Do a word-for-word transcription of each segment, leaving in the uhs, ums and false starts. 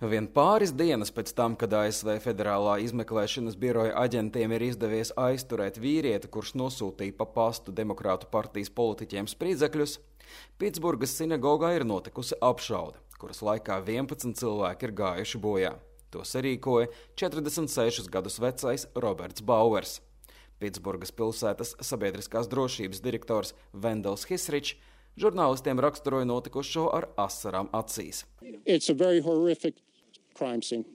Vien pāris dienas pēc tam, kad A S V Federālā izmeklēšanas biroja aģentiem ir izdevies aizturēt vīrieti, kurš nosūtīja pa pastu Demokrātu partijas politiķiem spridzekļus, Pitsburgas sinagogā ir notikusi apšaude, kuras laikā vienpadsmit cilvēki ir gājuši bojā. To sarīkoja četrdesmit sešus gadus vecais Roberts Bauers. Pitsburgas pilsētas sabiedriskās drošības direktors Vendels Hisričs žurnālistiem raksturoja notikušo ar asarām acīs. It's a very horrific crime scene.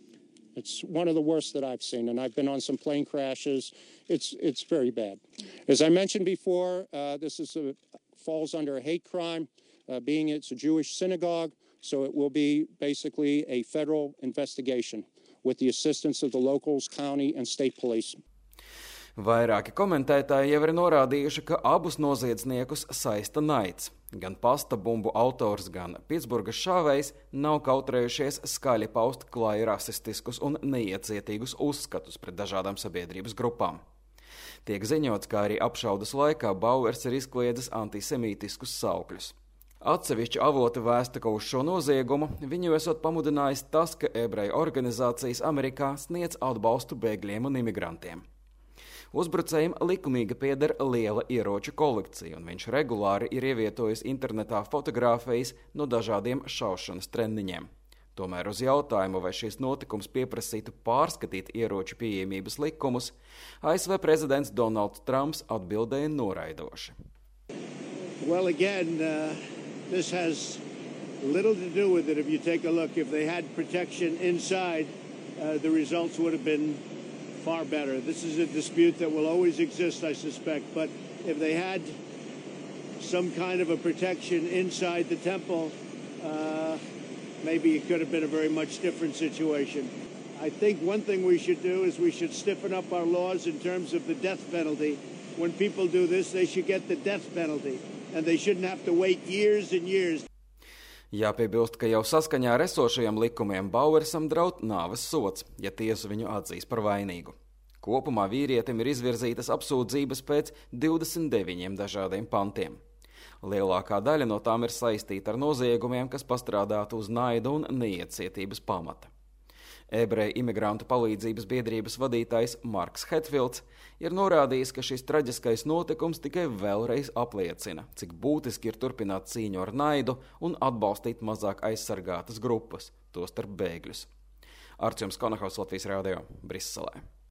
It's one of the worst that I've seen, and I've been on some plane crashes. It's it's very bad. As I mentioned before, uh, this is a, falls under a hate crime, uh, being it's a Jewish synagogue, so it will be basically a federal investigation with the assistance of the locals, county, and state police. Vairāki komentētāji jau ir norādījuši, ka abus noziedzniekus saista naids. Gan pasta bumbu autors, gan Pitsburgas šāvējs nav kautrējušies skaļi paust klāji rasistiskus un neiecietīgus uzskatus pret dažādām sabiedrības grupām. Tiek ziņots, ka arī apšaudas laikā Bauers ir izkliedzis antisemītiskus saukļus. Atsevišķi avoti vēsta, ka uz šo noziegumu viņu esot pamudinājis tas, ka ebreju organizācijas Amerikā sniedz atbalstu bēgļiem un imigrantiem. Uzbrucējiem likumīgi pieder liela ieroču kolekcija, un viņš regulāri ir ievietojis internetā fotogrāfijas no dažādiem šaušanas treniņiem. Tomēr uz jautājumu, vai šis notikums pieprasītu pārskatīt ieroču pieejamības likumus, A S V prezidents Donalds Trumps atbildēja noraidoši. Well, again, uh, this has little to do with it. If you take a look, if they had protection inside, uh, the results would have been far better. This is a dispute that will always exist, I suspect, but if they had some kind of a protection inside the temple, uh, maybe it could have been a very much different situation. I think one thing we should do is we should stiffen up our laws in terms of the death penalty. When people do this, they should get the death penalty, and they shouldn't have to wait years and years. Jāpiebilst, ka jau saskaņā ar esošajiem likumiem Bauersam draud nāves sods, ja tiesa viņu atzīs par vainīgu. Kopumā vīrietim ir izvirzītas apsūdzības pēc divdesmit deviņiem dažādiem pantiem. Lielākā daļa no tām ir saistīta ar noziegumiem, kas pastrādātu uz naida un neiecietības pamata. Ebreju imigrantu palīdzības biedrības vadītājs Marks Hetfields ir norādījis, ka šis traģiskais notikums tikai vēlreiz apliecina, cik būtiski ir turpināt cīņu ar naidu un atbalstīt mazāk aizsargātas grupas, tostarp bēgļus. Artjoms Konahaus, Latvijas radio, Briselē.